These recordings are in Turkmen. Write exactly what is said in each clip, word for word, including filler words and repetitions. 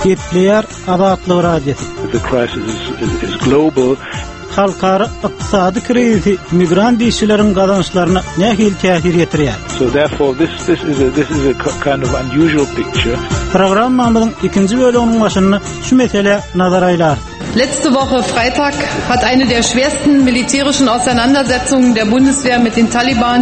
Gepleýär Azatlyk Radiosy. The crisis is, is, is global. Halkara ykdysady krizisi migrant işçileriň gazançlaryna nähili täsir ýetirýär? So therefore this this is a this is a kind of unusual picture. Programmamyzyň ikinji bölüminiň başynda şu meselä nazar aýlarys. Letzte Woche Freitag hat eine der schwersten militärischen Auseinandersetzungen der Bundeswehr mit den Taliban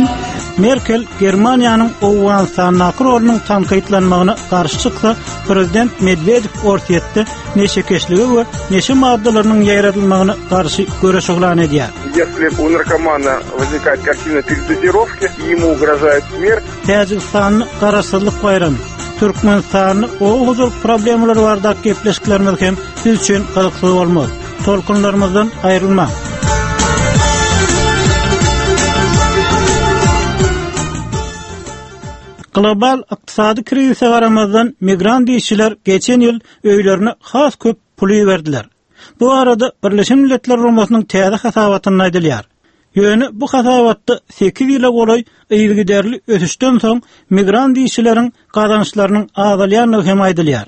Merkel Germaniýanyň Owganystandaky rolunyň tankytlanmagyna garşy çyksa, prezident Medwedew Orsýetde neşekeşlige we neşe maddalarynyň ýaýradylmagyna garşy göreş yglan edýär. Если у наркомана возникает картина передозировки, ему угрожает смерть. Täjigistanda garaşsyzlyk baýramy, Türkmenistanda oba hojalyk problemalary baradaky gepleşiklerimiz hem siz üçin gyzykly bolmaz. Tolkunlarymyzdan aýrylmaň. Global ykdysady krizise garamazdan migrant işçiler geçen ýyl öýlerine has köp pul berdiler. Bu arada Birleşen Milletler Guramasynyň täze hasabatynda aýdylýar. Ýöne bu hasabatda sekiz ýyla golaý yzygiderli ösüşden soň migrant işçileriň gazançlarynyň azalýandygy hem aýdylýar.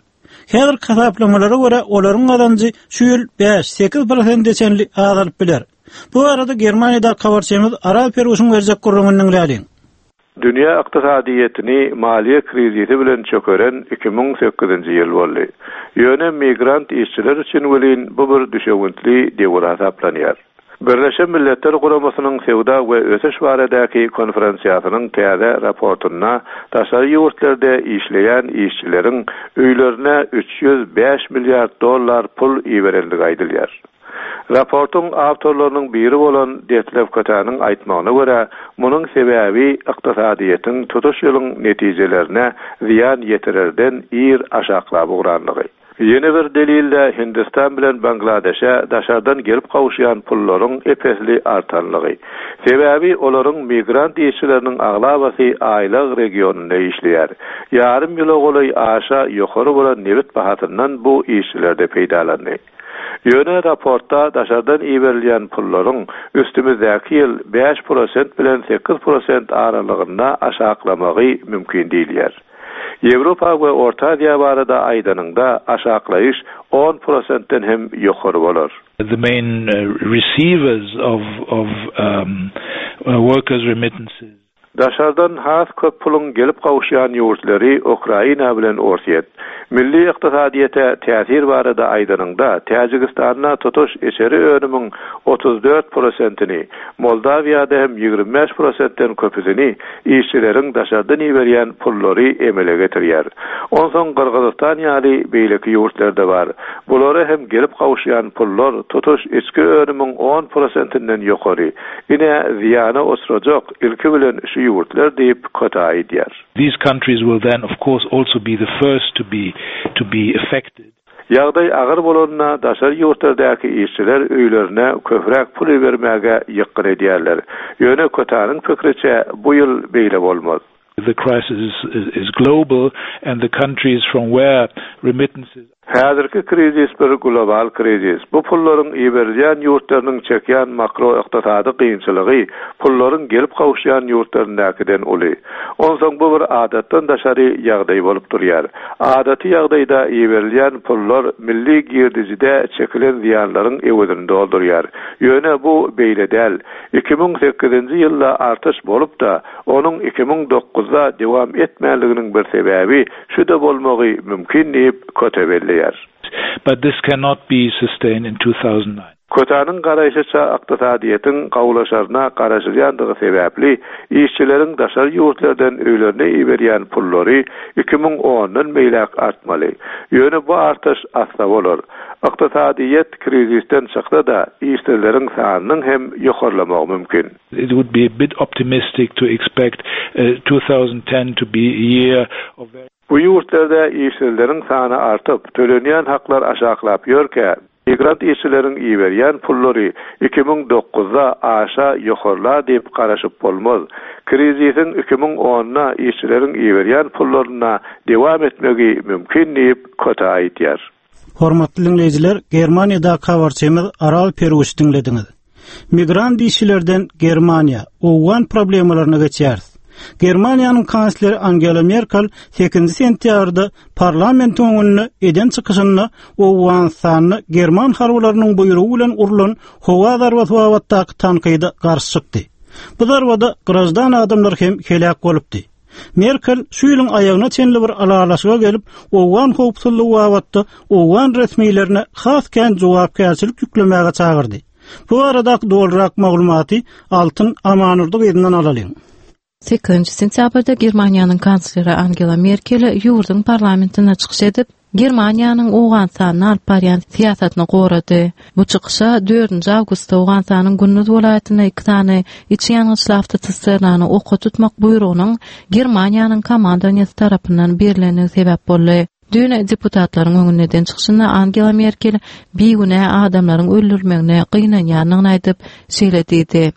Häzirki hasaplamalara görä olaryň gazanjy şu ýyl bäş sekiz prosente çenli azalyp biler. Bu arada Germaniýada habarçymyz Aral Peruşyň berjek gürrüňini diňläliň. Dünýä ykdysadyýetini maliýe krizisi bilen çökeren iki müň sekizinji ýyl boldy. Ýöne migrant işçiler üçin welin bu bir düşewüntli döwür hasaplanýar. Birleşen Milletler Guramasynyň Söwda we Ösüş baradaky konferensiýasynyň täze raportynda daşary ýurtlarda işleýän işçileriň öýlerine üç ýüz bäş milliard dollar pul iberendigi aýdylýar. Raportyň awtorlarynyň biri bolan Detlef Kötäniň aýtmagyna görä, munuň sebäbi ykdysadyýetiň tutuş ýylyň netijelerine zyýan ýetirerden ir aşaklap ugranlygy. Ýene bir delilde Hindistan bilen Bangladeşe daşardan gelip gowuşýan pullaryň epesli artanlygy. Sebäbi olaryň migrant işçileriniň aglabasy aýlyk regionynda işleýär. Ýarym ýyla golaý aşa ýokary bolan nebit bahasyndan bu işçilerde peýdalandy. Ýöne raportda daşardan iberilýän pullaryň üstümizdäki ýyl bäş prosent bilen sekiz prosent aralygynda aşaklamagy mümkin diýilýär. Ýewropa we Orta Aziýa barada aýdanynda aşaklaýyş on prosentden hem ýokary bolar. The main, uh, receivers of, of, um, uh, workers remittances. Daşardan has köp puluň gelip gowuşýan ýurtlary Ukraina bilen Orsýet. Milli ykdysadyýete täsir barada aýdanynda Täjigistanda tutuş içeri önümiň otuz dört prosentini, Moldawiýada hem ýigrimi bäş prosentden köpüsini işçileriň daşardan iberýän pullary emele getirýär. Onsoň Gyrgyzystan ýaly beýleki ýurtlarda bar. Bulara hem gelip gowuşýan pullar tutuş içki önümiň on prosentinden ýokary. Ine zyýana oturacak ilki bilen şu ýurtlar diýip Kötä aýdýar. These countries will then of course also be the first to be to be affected. Ýagdaý agyr bolanda daşary ýurtlardaky işçiler öýlerine köpräk pul bermäge ýykgyn edýärler. Ýöne Kötäniň pikiriçe bu ýyl beýle bolmaz. The crisis is, is, is global and the countries from where remittances Häzirki krizis bir global krizis. Bu pullaryň iberilýän ýurtlarynyň çekýän makroykdysady kynçylygy pullaryň gelip gowuşýan ýurtlaryndakydan uly. Onsoň bu bir adatdan daşary ýagdaý bolup durýar. Adaty ýagdaýda iberilýän pullar milli girdijide çekilen zyýanlaryň öwezini doldurýar. Ýöne bu beýle däl. iki müň sekizinji ýylda artyş bolup da onuň iki müň dokuzda dewam etmänliginiň bir sebäbi şu-da bolmagy mümkin diýip Köte belleýär. But this cannot be sustained in two thousand nine. Kötäniň garaýşyça ykdysadyýetiň gawlaşaryna garaşylýandygy sebäpli işçileriň daşary ýurtlardan öýlerine iberýän pullary iki müň ondan beýläk artmaly. Ýöne bu artyş asla bolar. Ykdysadyýet krizisden çyksa da işçileriň sanynyň hem ýokarlamagy mümkin. It would be a bit optimistic to expect, uh, two thousand ten to be a year of very Bu ýurtlarda işçileriň sany artyp, tölenýän haklar aşaklap ýörkä, migrant işçileriň iberýän pullary iki müň dokuzda aşa ýokarla diýip garaşyp bolmaz. Krizisiň iki müň onda işçileriň iberýän pullaryna dewam etmegi mümkin diýip Kötä aýdýar. Hormatly dinleýjiler, Germaniýada habarçymyz Aral Peruş diňlediňiz. Migrant işçilerden Germaniýa, Owgan problemalaryna geçýäris. Germaniýanyň kansleri Angela Merkel sekizinji sentýabrda parlamentiň öňünde eden çykyşynda Owganystanda German harbylarynyň buýrugy bilen urlan howa zarbasy babatdaky tankyda garşy çykdy. Bu zarbada grajdan adamlar hem heläk bolupdy. Merkel şu ýylyň aýagyna çenli bir alalaşyga gelip, Owgan howpsuzlygy babatda Owgan resmilerine has kän jogapkärçilik ýüklemäge çagyrdy. Bu arada dolrak maglumaty Altyn Amanurdy gyzyndan alalyň. Sekizinji sentýabrda Germaniýanyň kansleri Angela Merkel ýurduň parlamentine çykyş edip, Germaniýanyň Owganystanyny alyp barýan syýasatyny gorady. Bu çykyşa dördünji awgustda Owganystanyň Gündüz welaýatynda iki sany içi ýangyçly awtosisternany oka tutmak buýrugynyň Germaniýanyň komandowaniýasy tarapyndan berilendigi sebäp boldy. Dün deputatlaryň öňünde eden çykyşynda Angela Merkel bigünä adamlaryň öldürilmegine gynanýandygyny aýdyp, şeýle diýdi.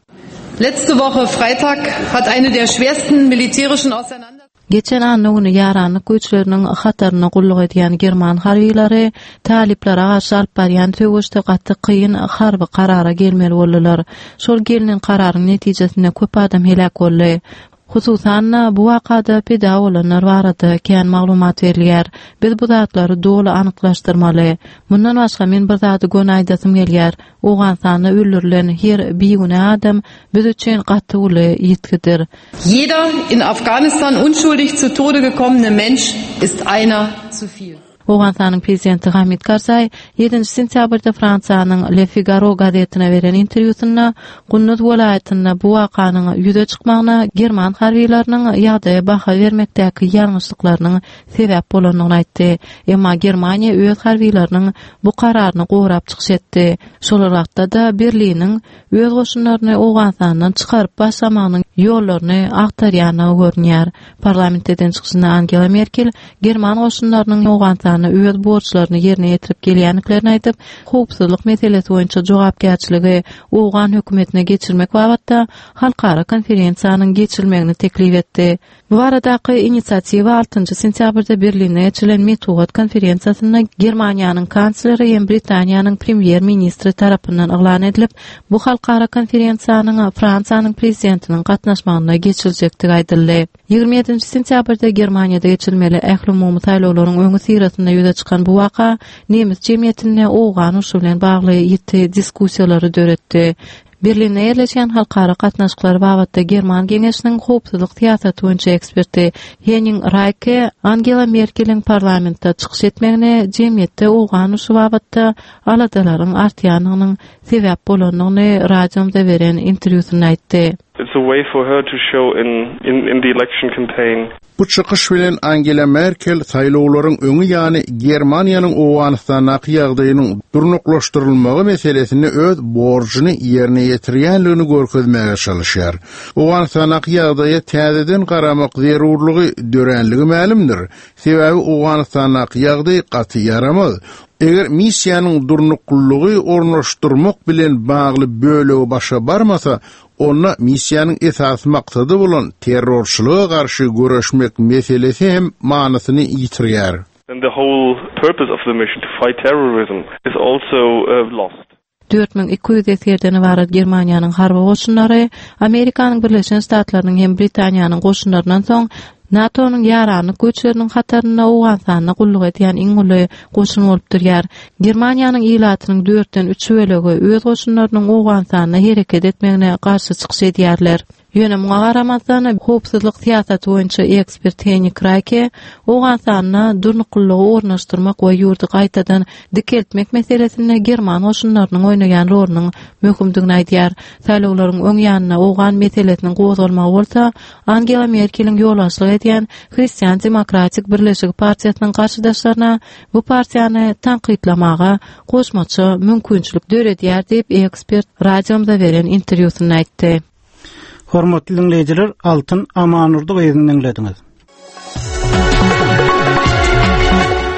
Letzte Woche Freitag hat eine der schwersten militärischen Auseinandersetzungen Geçen anna güni ýaranlyk güýçleriniň hataryna gulluk edýän german harbylary talyplara garşy alyp barýan söweşde gaty kyn harby karara gelmeli boldular. Şol gelinen kararyň netijesinde köp adam heläk boldy. Hususan-da bu wakada pida bolanlar barada kän maglumat berilýär. Biz bu zatlary doly anyklaşdyrmaly. Mundan başga men bir zady göni aýdasym gelýär. Owganystanda öldürilen her bigünä adam biz üçin gaty uly ýitgidir. Jeder in Afghanistan unschuldig zu Tode gekommene Mensch ist einer zu viel. Owganystanyň prezidenti Hamid Karzai ýedinji sentýabrda Fransiýanyň Le Figaro gazetine beren interwýusynda Gündüz welaýatynda bu wakanyň ýüze çykmagyna german harbylarynyň ýagdaýa baha bermekdäki ýalňyşlyklarynyň sebäp bolandygyny aýtdy. Emma Germaniýa öz harbylarynyň bu kararyny gorap çykyş etdi. Şol wagtda-da Berliniň öz goşunlaryny Owganystandan çykaryp başlamagynyň ýollaryny agtarýandygy görünýär. Parlamentde eden çykyşynda Angela Merkel german goşunlarynyň Owganystanda öz borçlaryny ýerine ýetirip gelýändiklerini aýdyp, howpsuzlyk meselesi boýunça jogapkärçiligi Owgan hökümetine geçirmek babatda halkara konferensiýanyň geçirilmegini teklip etdi. Bu baradaky inisiatiwa altynjy sentýabrda Berlinde geçirilen metbugat konferensiýasynda Germaniýanyň kansleri hem Britaniýanyň premýer-ministri tarapyndan yglan edilip, bu halkara konferensiýanyň Fransiýanyň prezidentiniň gatnaşmagynda geçiriljekdigi aýdyldy. Ýigrimi ýedinji sentýabrda Germaniýada geçirilmeli ählumumy saýlawlaryň öňi syrasynda ýüze çykan bu waka nemes jemgyýetinde Owgan urşy bilen bagly ýiti diskussiýalary döretdi. Berlinde ýerleşen halkara gatnaşyklary babatda German Geňeşiniň howpsuzlyk syýasaty boýunça eksperti Henning Reike Angela Merkeliň parlamentde çykyş etmegine jemgyýetde Owgan urşy babatda aladalaryň artýandygynyň sebäp bolandygyny radiomda beren interwýusynda aýtdy. It's a way for her to show in, in, in the election campaign. Bu çykyş bilen Angela Merkel saýlawlaryň öňi ýany Germaniýanyň Owganystandaky ýagdaýynyň durnuklaşdyrylmagy meselesinde öz borjuny ýerine ýetirýänligini görkezmäge çalışýar. Owganystandaky ýagdaýa täzeden garamak zerurlygy döränligi mälimdir. Sebäbi Owganystandaky ýagdaý gaty ýaramaz. Eger missiýanyň durnuklylygy ornaşdyrmak bilen bagly bölegi başa barmasa, onda missiýanyň esasy maksady bolan terrorçylyga garşy göreşmek meselesi hem manysyny ýitirýär. And the whole purpose of the mission to fight terrorism is also, uh, lost. Dört müň iki ýüz esgerden ybarat Germaniýanyň harby goşunlary Amerikanyň Birleşen Ştatlarynyň hem Britaniýanyň goşunlaryndan soň NATO-nyň ýaranlyk güýçleriniň hatarynda Owganystanda gulluk edýän iň uly goşun bolup durýar. Germaniýanyň ilatynyň dörtden üç bölegi öz goşunlarynyň Owganystanda hereket etmegine garşy çykyş edýärler. Ýöne muňa garamazdan howpsuzlyk syýasaty boýunça ekspert Henning Reike Owganystanda durnuklylygy ornaşdyrmak we ýurdy gaýtadan dikeltmek meselesinde german goşunlarynyň oýnaýan rolunyň möhümdigini aýdýar. Saýlawlaryň öň ýanynda Owgan meselesiniň gozgalmagy bolsa Angela Merkeliň ýolbaşçylyk edýän Hristian Demokratik Birleşigi partiýasynyň garşydaşlaryna bu partiýany tankytlamaga goşmaça mümkinçilik döredýär diýip ekspert radiomda beren interwýusynda aýtdy. Hormatly dinleýjiler, Altyn Amanurdy gyzyny dinlediňiz.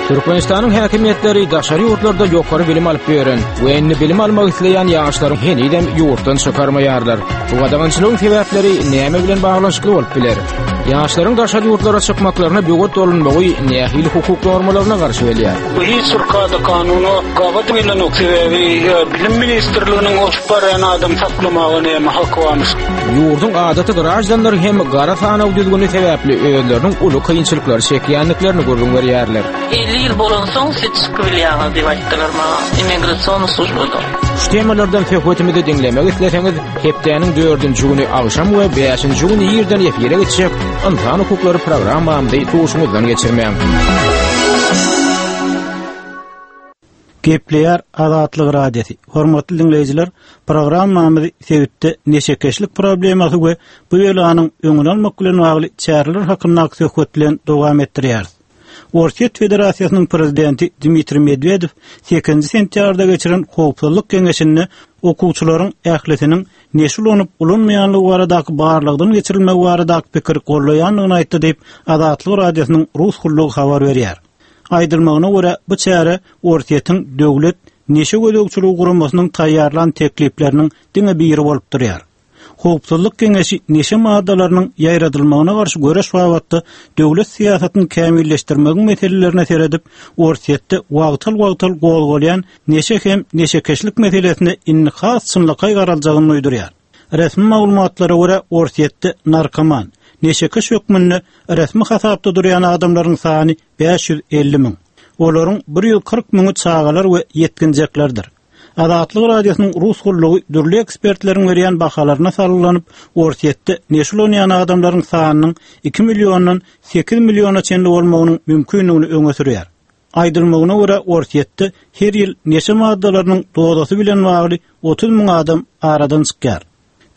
Türkmenistanyň häkimiýetleri daşary ýurtlarda ýokary bilim alyp ýören we indi bilim almak isleýän ýaşlaryň henizem ýurtdan çykarmaýarlar. Bu gadagançylygyň sebäpleri näme bilen baglanyşykly bolup biler? Ýaşlaryň daşary ýurtlara çykmaklaryna böwet bolunmagy nähili hukuk normalaryna garşy gelýär? Bu hiç bir kada kanuna gabat gelenok, sebäbi bilim ministrliginiň oşup barýan adam saklamaga näme haky barmyş? Ýurduň adaty grajdanlary hem gara sanaw düzgüni sebäpli özleriniň uly kynçylyklary çekýändiklerini gürrüň berýärler. elli ýyl bolansoň siz çykyp bilýäňiz diýip aýtdylar maňa immigrasion službada. Şu temalardan söhbetimizi diňlemek isleseňiz, hepdäniň dördünji güni agşam we bäşinji güni irden efire geçjek Ynsan hukuklary programmamyzy duşuňyzdan geçirmäň. Gepleýär Azatlyk Radiosy. Hormatly dinleýjiler, programmamyzy sebitde neşekeşlik problemasy we bu ýelanyň öňüni almak bilen bagly çäreler hakyndaky söhbet bilen dowam etdirýäris. Orsýet Federasiýasynyň prezidenti Dmitriý Medwedew sekizinji sentýabrda geçiren howpsuzlyk geňeşinde okuwçylaryň ählisiniň neşe ulanyp ulanmaýanlygy baradaky barlagdan geçirilmegi baradaky pikir gollaýandygyny aýtdy diýip Azatlyk Radiosynyň rus gullugy habar berýär. Aýdylmagyna görä bu çäre Orsýetiň döwlet neşe gözegçiligi guramasynyň taýýarlan teklipleriniň diňe biri bolup durýar. Howpsuzlyk geňeşi neşe maddalarynyň ýaýradylmagyna garşy göreş babatda döwlet syýasatyny kämilleşdirmegiň meselelerine seredip, Orsýetde wagtal-wagtal gozgalýan neşe hem neşekeşlik meselesine indi has çynlakaý garaljagyny duýdurýar. Resmi maglumatlara görä Orsýetde narkoman, neşekeş hökmünde resmi hasapda durýan adamlaryň sany bäş ýüz elli müň. Olaryň bir ýüz kyrk müňi çagalar we ýetginjeklerdir. Azatlyk Radiosynyň rus gullugy dürli ekspertleriň berýän bahalaryna salgylanyp, Orsýetde neşe ulanýan adamlaryň sanynyň iki milliondan sekiz milliona çenli bolmagynyň mümkinligini öňe sürýär. Aýdylmagyna görä Orsýetde her ýyl neşe maddalarynyň dozasy bilen bagly otuz müň adam aradan çykýar.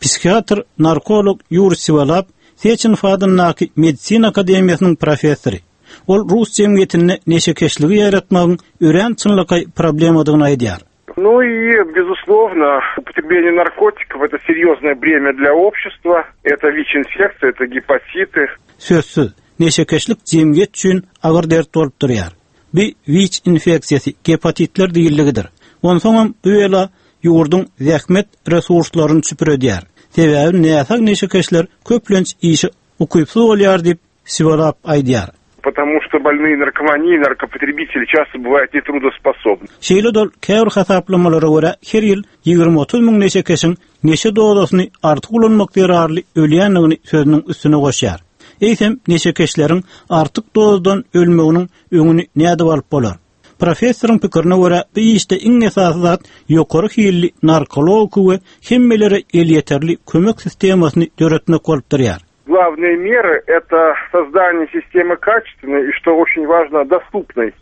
Psihiatr, narkolog Yuri Siwalap, Seçenov adyndaky Medisina akademiýasynyň professory. Ol Rus jemgyýetinde neşekeşligi ýaratmagyň örän çynlakaý problemadygyny aýdýar. Ну и, безусловно, употребление наркотиков – это серьезное бремя для общества, это ВИЧ-инфекция, это гепатиты. Sözsüz, neşekeşlik jemgyýet üçin agyr dert bolup durýar. Bir WIÇ infeksiýasy gepatitler diýilligidir. Onsoňam bu ýela ýurduň zähmet resurslaryny çüpür edýär. Sebäbi näsag neşekeşler köplenç işe ukypsyz bolýar diýip Siwalap aýdýar. Потому что больные наркомании, наркопотребители часто бывают нетрудоспособны. Şeýle dol käbir hasaplamalara görä her ýyl ýigrimi otuz müň neşekeşiň neşe dozasyny artyk ulanmak zerarly ölýändigini sözüniň üstüne goşýar. Eýsem neşekeşleriň artyk dozadan ölmeginiň öňüni nädip alyp bolar? Professoryň pikirine görä bu işde iň esasy zat ýokary hilli narkologiki we hemmelere elýeterli kömek sistemasyny döretmek bolup durýar. Главные меры – это создание системы качественной и, что очень важно, доступной.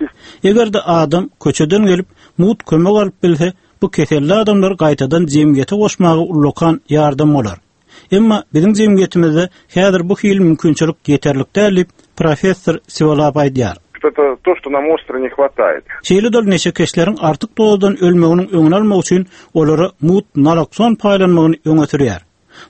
Eger-de adam köçeden gelip mut kömek alyp bilse, bu keselli adamlar gaýtadan jemgyýete goşmaga ullakan ýardam bolar. Emma biziň jemgyýetimizde häzir bu hil mümkinçilik ýeterlik däl diýip professor Siwalap aýdýar. Это то, что нам остро не хватает. Şeýle dol neşekeşleriň artyk dozadan ölmeginiň öňüni almak üçin olara mut nalokson paýlanmagyny öňe sürýär.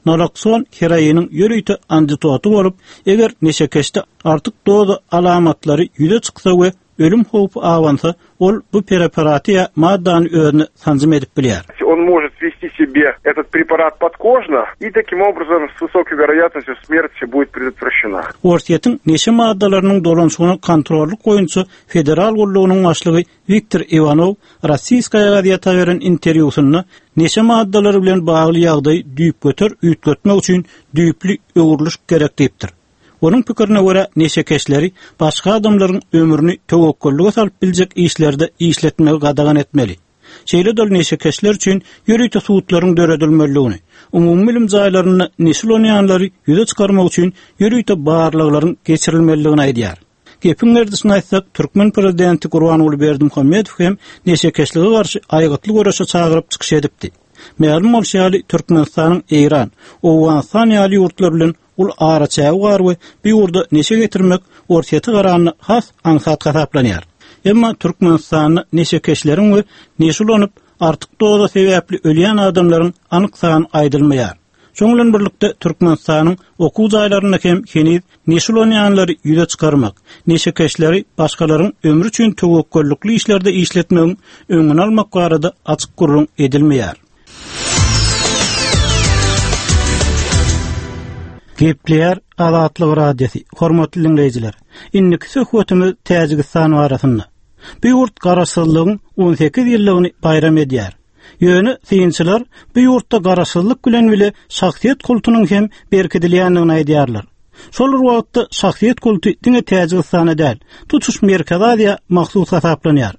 Nalokson heroiniň ýörite antitoty bolup, eger neşekeşde artyk doza alamatlary ýüze çyksa we ölüm howpy awansa, ol bu preparaty ýa maddany özüne sanjym edip bilýär. Он может ввести себе этот препарат подкожно, и таким образом с высокой вероятностью смерть будет предотвращена. Orsýetiň neşe maddalarynyň dolanşygyny kontrollyk boýunça federal gullugynyň başlygy Viktor Ivanov Rossiýskaya gazeta beren interwýusynda neşe maddalary bilen bagly ýagdaýy düýpgöter üýtgetmek üçin düýpli öwrüliş gerek diýipdir. Onuň pikirine görä neşekeşleri başga adamlaryň ömrüni töwekgellige salyp biljek işlerde işletmegi gadagan etmeli. Şeýle dol neşekeşler üçin ýörite sudlaryň döredilmeliligini, umumy bilim jaýlarynda neşe ulanýanlary ýüze çykarmak üçin ýörite barlaglaryň geçirilmeliligini aýdýar. Gepiň gerdişini aýtsak, Türkmen prezidenti Gurbanguly Berdimuhamedow hem neşekeşlige garşy aýgytly göreşe çagyryp çykyş edipdi. Mälim bolşy ýaly Türkmenistanyň Eýran, Owganystan ýaly ýurtlar bilen ul araçägi bar we bu ýurda neşe getirmek Orsýete garanda has aňsat hasaplanýar. Emma Türkmenistanda neşekeşleriň we neşe ulanyp artyk doza sebäpli ölýän adamlaryň anyk sany aýdylmaýar. Şonuň bilen birlikde Türkmenistanyň okuw jaýlarynda hem heniz neşe ulanýanlary ýüze çykarmak, neşekeşleri başgalaryň ömri üçin töwekgellikli işlerde işletmegiň öňüni almak barada açyk gürrüň edilmeýär. Gepleýär Azatlyk Radiosy, hormatly dinleýjiler. Indiki söhbetimiz Täjigistan barasynda. Bu ýurt garaşsyzlygyň on sekiz ýyllygyny baýram edýär. Ýöne synçylar bu ýurtda garaşsyzlyk bilen bile şahsyýet kultunyň hem berkidilýändigini aýdýarlar. Şol bir wagtda şahsyýet kulty diňe Täjigistana däl, tutuş Merkezi Aziýa mahsus hasaplanýar.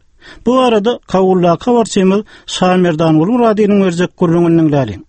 Bu arada Kabuldaky habarçymyz Şamerdan Gulmuradynyň berjek gürrüňini diňläliň.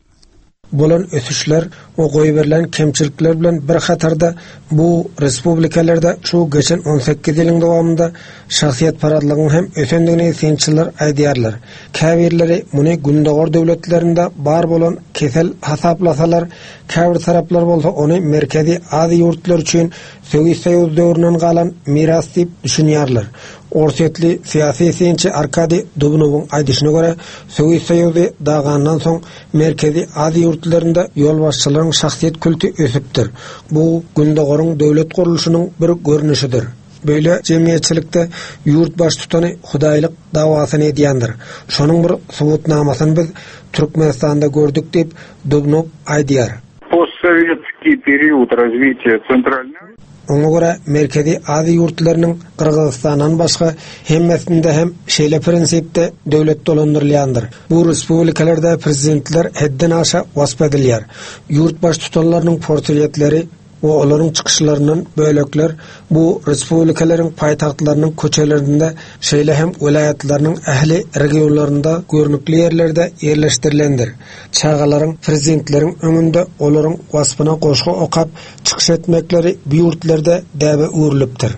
Bolan ösüşler we goýberilen kemçilikler bilen bir hatarda bu respublikalarda şu geçen on sekiz ýylyň dowamynda şahsyýetparazlygyň hem ösendigini synçylar aýdýarlar. Käbirleri muny Gündogar döwletlerinde bar bolan kesel hasaplasalar, käbir taraplar bolsa ony Merkezi Aziýa ýurtlary üçin Sowet Soýuz döwründen galan miras diýip düşünýärler. Orsýetli syýasy synçy Arkadiý Dubnowyň aýdyşyna görä, Sowet Soýuzy dagandan soň Merkezi Aziýa ýurtlarynda ýolbaşçylaryň şahsyýet külti ösüpdir. Bu Gündogaryň döwlet gurluşynyň bir görnüşidir. Böyle jemgyýetçilikde ýurt baştutany hudaýlyk dawasyny edýändir. Şonuň bir subutnamasyny biz Türkmenistanda gördük diýip Dubnow aýdýar. Постсоветский период развития центральной Oňa görä Merkezi Aziýa ýurtlarynyň Gyrgyzystandan başga hemmesinde hem şeýle prinsipde döwlet dolandyrylýandyr. Bu respublikalarda prezidentler hedden aşa wasp edilýär. Ýurt baştutanlarynyň portretleri we olaryň çykyşlaryndan bölekler bu respublikalaryň paýtagtlarynyň köçelerinde, şeýle hem welaýatlarynyň ähli regionlarynda görnükli ýerlerde ýerleşdirilendir. Çagalaryň prezidentleriň öňünde olaryň waspyna goşgy okap çykyş etmekleri bu ýurtlarda däbe öwrülipdir.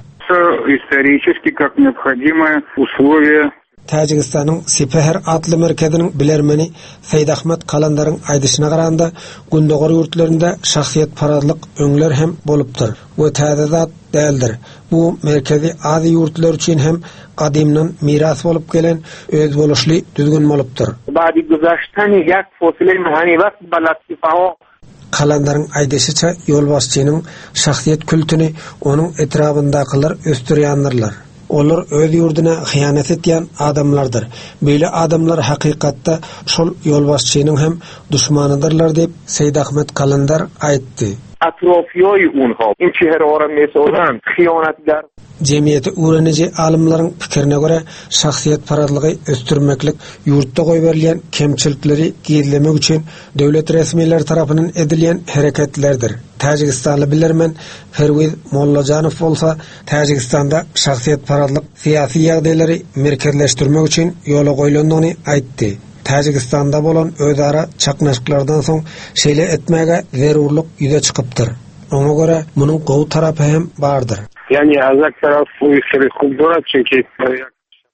Исторически как необходимое условие. Täjigistanyň Sipeher atly merkeziniň bilermeni Seýid Ahmet Kalandaryň aýdyşyna garanda, Gündogar ýurtlarynda şahsyýetparazlyk öňler hem bolupdyr we täze zat däldir. Bu Merkezi Aziýa ýurtlary üçin hem gadymdan miras bolup gelen özboluşly düzgün bolupdyr. Badi guzashtani yak fosile mahani waqt balat sifaho Kalandaryň aýdyşyça ýolbaşçynyň şahsyýet kültüni onuň etrabyndakylar ösdürýändirler. Olar öz ýurduna hyýanat etýän adamlardyr. Beýle adamlar hakykatda şol ýolbaşçynyň hem düşmanydyrlar diýip Seýid Ahmet Kalandar aýtdy. Atrofiýoý unha in çehre mesozan hyýanatgar. Jemgyýeti öwreniji alymlaryň pikirine görä şahsyýetparazlygy ösdürmeklik ýurtda goýberilýän kemçilikleri gizlemek üçin döwlet resmileri tarapyndan edilýän hereketlerdir. Täjigistanly bilermen Perwiz Mollajanow bolsa Täjigistanda şahsyýetparazlyk syýasy ýagdaýlary merkezleşdirmek üçin ýola goýlandygyny aýtdy. Täjigistanda bolan özara çaknyşyklardan soň şeýle etmäge zerurlyk ýüze çykypdyr. Oňa görä munuň gowy tarapy hem bardyr. Yani azak taraf bu işleri kudura çünki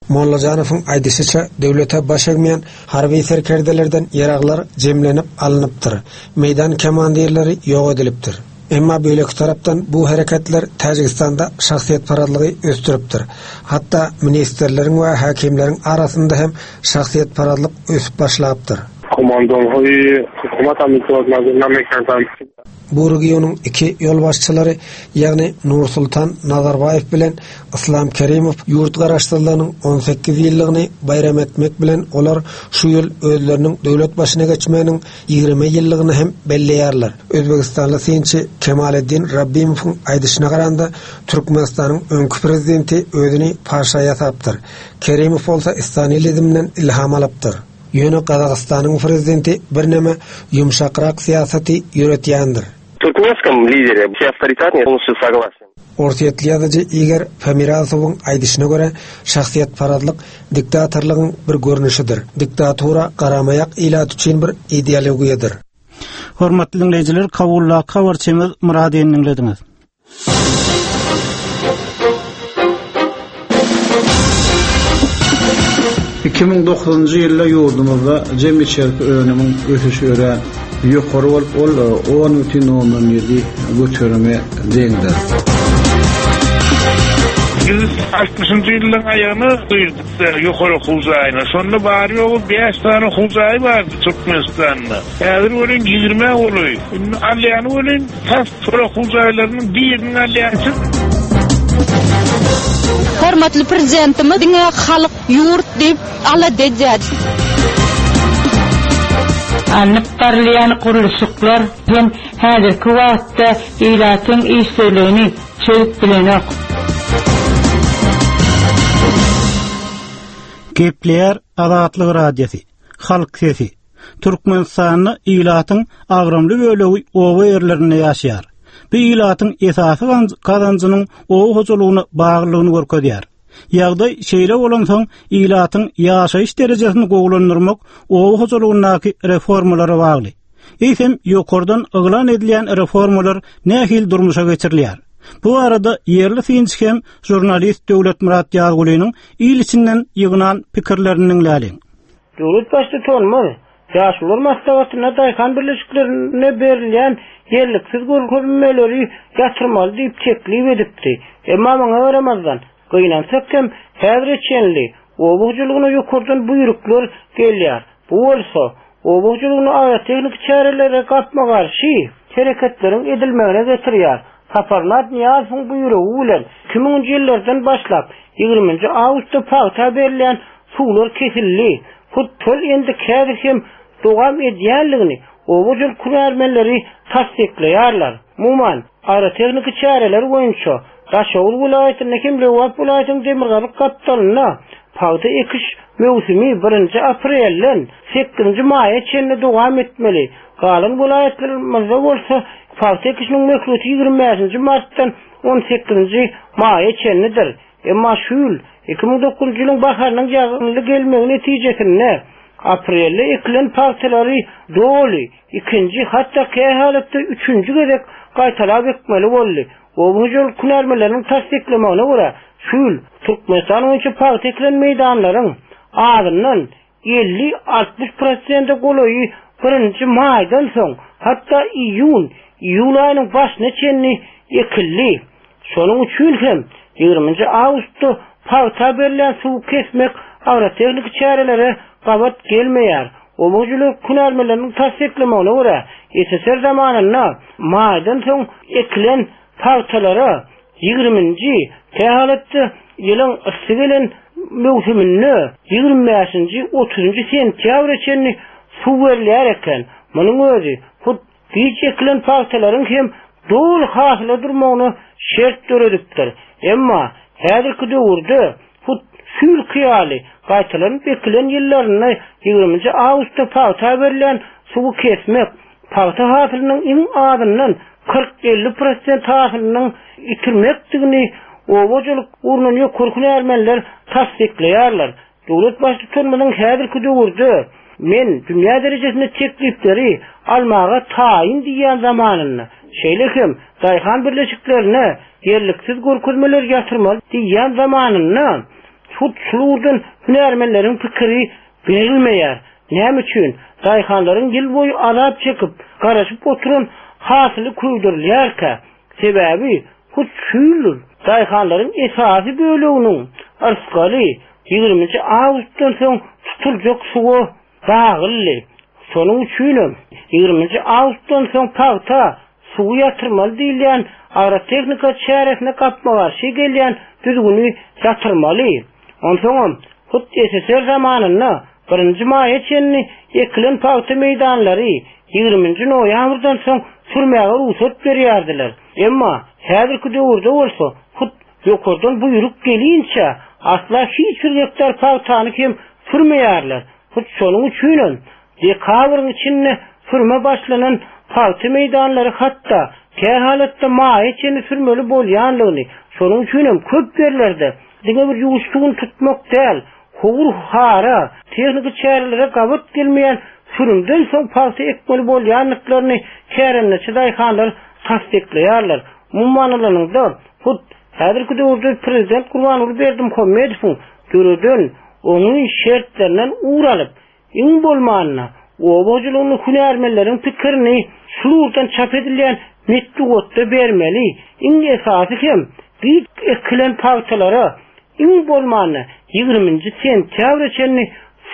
Mollajanowyň aýdyşyça döwlete baş egmeýän harby serkerdelerden ýaraglar jemlenip alnypdyr. Meýdan komandirleri ýok edilipdir. Emma beýleki tarapdan bu hereketler Täjigistanda şahsyýetparazlygy ösdüripdir. Hatda ministerleriň we häkimleriň arasynda hem şahsyýetparazlyk ösüp başlapdyr. Komandonhoý hukumat amitwat nazarlamak Bu regionyň iki ýolbaşçylary, ýagny Nursultan Nazarbaýew bilen Islam Kerimow ýurt garaşsyzlygynyň on sekiz ýyllygyny baýram etmek bilen olar şu ýyl özleriniň döwlet başyna geçmeginiň ýigrimi ýyllygyny hem belleýärler. Özbegistanly synçy Kemaleddin Rabbimowyň aýdyşyna garanda Türkmenistanyň öňki prezidenti özüni paşa ýasapdyr. Kerimow bolsa Istanilizmden ilham alypdyr. Ýöne Gazagystanyň prezidenti birneme ýumşakrak syýasaty ýöretýändir. Туркменском лидере все авторитетные полностью согласен. Orsýetli ýazyjy Igor Pomeransowuň aýdyşyna görä, şahsyýetparazlyk diktatorlygyň bir görnüşidir. Diktatura garamaýak ilat üçin bir ideologiýadyr. Hormatly dinleýjiler, Kabuldaky habarçymyz Murad diňlediňiz. Iki müň dokuzynjy ýylda ýurdumyzda jem içerki önümiň ösüşi örän ýokary bolup, ol on bütin ondan ýedi göterime deňdir. Biz altmyşynjy ýylyň aýagyna girdik ýokary okuw jaýyna. Şonda bary ýogy bäş tane okuw jaýy bardy Türkmenistanda. Häzir welin ýigrimi golaý. Indi alýany welin tas şol okuw jaýlarynyň biriniň alýançy. Hormatly prezidentimiz diňe halk ýurt diýip alada edýär. Alnyp barylýan gurluşyklar hem häzirki wagtda ilatyň işsizligini çözüp bilenok. Gepleýär Azatlyk Radiosy, Halk sesi. Türkmenistanda ilatyň agramly bölegi oba ýerlerinde ýaşaýar. Bu ilatyň esasy gazanjynyň oba hojalygyna baglylygyny görkezýär. Ýagdaý şeýle bolansoň ilatyň ýaşaýyş derejesini gowulandyrmak oba hojalygyndaky reformalara bagly. Eýsem ýokardan yglan edilýän reformalar nähili durmuşa geçirilýär? Bu arada ýerli synçy hem žurnalist Döwletmyrat Ýazgulynyň il içinden ýygnan pikirlerini diňläliň. Döwlet baştutanymyz Ýaşulular maslahatynda daýhan birleşiklerine berilýän ýerliksiz görkezmeleri ýatyrmaly diýip teklip edipdi. Emma muňa garamazdan, gynansak hem häzire çenli oba hojalygyna ýokardan buýruklar gelýär. Bu bolsa oba hojalygyna agrotehnik çärelere gapma-garşy hereketleriň edilmegine getirýär. Saparmyrat Nyýazowyň buýrugy bilen iki müňünji ýyllardan başlap ýigriminji awgustda pagta berilýän suwlar kesildi. Hut şol endik häzir hem dowam edýänligini oba hojalyk hünärmenleri tassyklaýarlar. Umuman, agrotehnik çäreler boýunça Daşoguz welaýatynda hem Lebap welaýatynyň demirgazyk gapdalynda pagta ekiş möwsümi birinji aprelden sekizinji maýa çenli dowam etmeli. Galan welaýatlarymyzda bolsa pagta ekişiniň möhleti ýigrimi bäşinji martdan on sekizinji maýa çenlidir. Emma şu ýyl iki müň dokuzynjy ýylyň baharynyň ýagynly gelmegi netijesinde aprelde ekilen pagtalary doly ikinji, hatda kähalatda üçünji gezek gaýtalap ekmeli boldy. Oba hojalyk hünärmenleriniň tassyklamagyna görä, şu ýyl Türkmenistan boýunça pagta ekilen meýdanlaryň azyndan elli altmyş prosente golaýy birinji maýdan soň, hatda iýun, iýul aýynyň başyna çenli ekildi. Şonuň üçin hem ýigriminji awgustda pagta berilýän suwy kesmek agrotehnik çärelere gabat gelmeýär. Oba hojalyk hünärmenleriniň tassyklamagyna görä, S S R zamanynda maýdan soň ekilen pagtalara ýigriminji, kähalatda ýylyň yssy gelen möwsüminde ýigrimi bäşinji, otuzynjy sentýabra çenli suw berilýär eken. Munuň özi hut giç ekilen pagtalaryň hem doly hasyla durmagyna şert döredipdir. Emma häzirki döwürde hut şu ýylky ýaly gaýtalanyp ekilen ýyllarynda ýigriminji awgustda pagta berilýän suwy kesmek, pagta hasylynyň iň azyndan kyrk elli prosent hasylynyň itirmekdigini oba hojalyk ugrundan ýokary hünärmenler tassyklaýarlar. Döwlet baştutanymyzyň häzirki döwürde men dünýä derejesinde teklipleri almaga taýyn diýýän zamanynda, şeýle hem daýhan birleşiklerine ýerliksiz görkezmeler ýatyrmaly diýýän zamanynda hut şu ugurdan hünärmenleriň pikiri berilmeýär. Näme üçin daýhanlaryň ýyl boýy azap çekip, garaşyp oturan hasyly köýdürilýärkä? Sebäbi hut şu ýyl daýhanlaryň esasy böleginiň yrsgaly ýigriminji awgustdan soň tutuljak suwa baglydy. Şonuň üçinem ýigriminji awgustdan soň pagta suwy ýatyrmaly diýilýän agrotehnika çäresine gapma-garşy gelýän düzgüni ýatyrmaly. Onsoňam hut S S R zamanynda birinji maýa çenli ekilen pagta meýdanlary ýigriminji noýabrdan soň sürmäge rugsat berýärdiler. Emma häzirki döwürde bolsa hut ýokardan buýruk gelinçä asla hiç bir gektar pagtany hem sürmeýärler. Hut şonuň üçinem dekabryň içinde sürme başlanan pagta meýdanlary hatda kähalatda maýa çenli sürmeli bolýanlygyny, şonuň üçinem köp ýerlerde diňe bir ýuwuş suwuny tutmak däl, howur hara, tehniki çärelere gabat gelmeýän sürümden soň pagta ekmeli bolýanlyklaryny kärendeçi daýhanlar tassyklaýarlar. Umuman alanyňda, hut häzirki döwürde Prezident Gurbanguly Berdimuhamedowyň döreden oňyn şertlerinden ugur alyp, iň bolmanda oba hojalygynyň hünärmenleriň pikirini şu ugurdan çap edilýän metbugatda bermeli. Iň esasy hem giç ekilen pagtalara iň bolmanda ýigriminji sentýabra çenli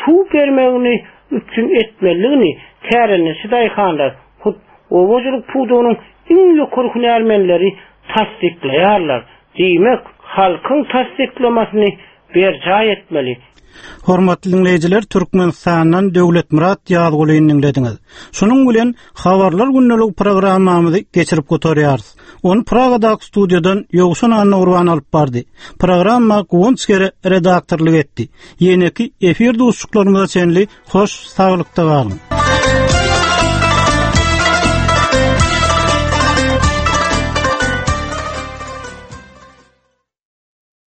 suw bermegini üpjün etmelidigini kärendeçi daýhanlar hut oba hojalyk pudagynyň iň ýokary hünärmenleri tassyklaýarlar. Diýmek, halkyň tassyklamasyny berjaý etmeli. Hormatly dinleýjiler, Türkmenistandan Döwletmyrat Ýazgulyny dinlediňiz. Şunuň bilen Habarlar gündelik programmamyzy geçirip gutarýarys. Ony Pragadaky studiýadan Ýowşan Annagurban alyp bardy. Programma Guwanç Gere redaktorlyk etdi. Ýeneki efir duşuşyklarymyza çenli hoş saglykda galyň.